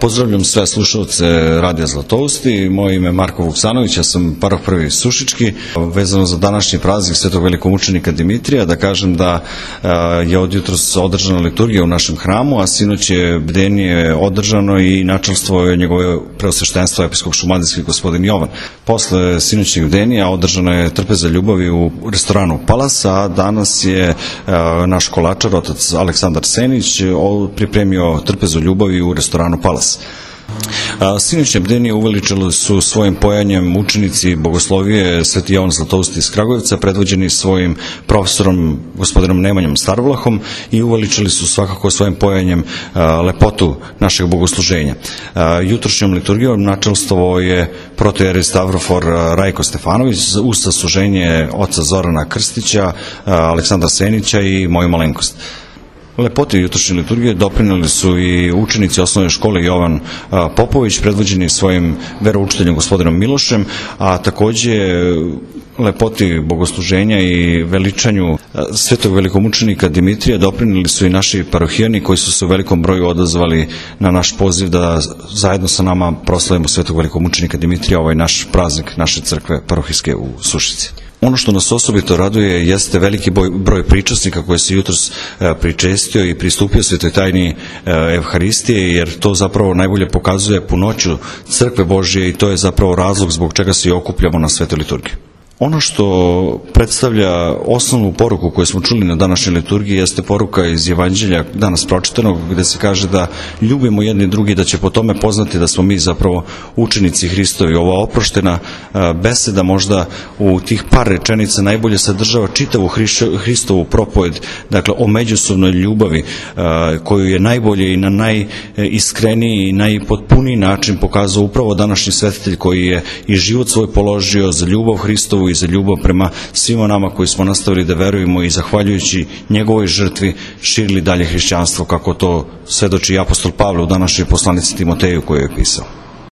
Pozdravljam sve slušalce Radija Zlatousti. Moje ime je Marko Vuksanović, ja sam paroh prvi Sušički. Vezano za današnji praznik Svetog velikomučenika Dimitrija, da kažem da je od jutros održana liturgija u našem hramu, a sinoć je bdenije održano i načelstvo je njegove preosveštenstva episkop šumadijski gospodin Jovan. Posle sinoćnih bdenija održana je trpeza ljubavi u restoranu Palas, a danas je naš kolačar, otac Aleksandar Senić, pripremio trpezu ljubavi u restoranu Palas. Sinoćne bdenije uveličali su svojim pojanjem učenici bogoslovije Sveti Jovan Zlatousti iz Kragujevca, predvođeni svojim profesorom gospodinom Nemanjom Starvlahom, i uveličali su svakako svojim pojanjem lepotu našeg bogosluženja. Jutrošnjom liturgijom načelstvo je protojerej Stavrofor Rajko Stefanović uz sasluženje oca Zorana Krstića, Aleksandra Senića i moju malenkost. Lepoti jutrošnje liturgije doprineli su i učenici osnovne škole Jovan Popović, predvođeni svojim veroučiteljem gospodinom Milošem, a takođe lepoti bogosluženja i veličanju Svetog velikomučenika Dimitrija doprineli su i naši parohijani koji su se u velikom broju odazvali na naš poziv da zajedno sa nama proslavimo Svetog velikomučenika Dimitrija, ovaj naš praznik naše crkve parohijske u Sušici. Ono što nas osobito raduje jeste veliki broj pričasnika koji se jutros pričestio i pristupio svetoj tajni Evharistije, jer to zapravo najbolje pokazuje punoću crkve Božije i to je zapravo razlog zbog čega se i okupljamo na svetoj liturgiji. Ono što predstavlja osnovnu poruku koju smo čuli na današnjoj liturgiji jeste poruka iz Evanđelja danas pročitanog, gde se kaže da ljubimo jedni drugi, da će po tome poznati da smo mi zapravo učenici Hristovi. Ova oproštena beseda možda u tih par rečenica najbolje sadržava čitavu Hristovu propoved, dakle o međusobnoj ljubavi koju je najbolje i na najiskreniji i najpotpuniji način pokazao upravo današnji svetitelj koji je i život svoj položio za ljubav Hristovu i za ljubav prema svima nama koji smo nastavili da verujemo i zahvaljujući njegovoj žrtvi širili dalje hrišćanstvo, kako to svedoči i apostol Pavle u današnjoj poslanici Timoteju koju je pisao.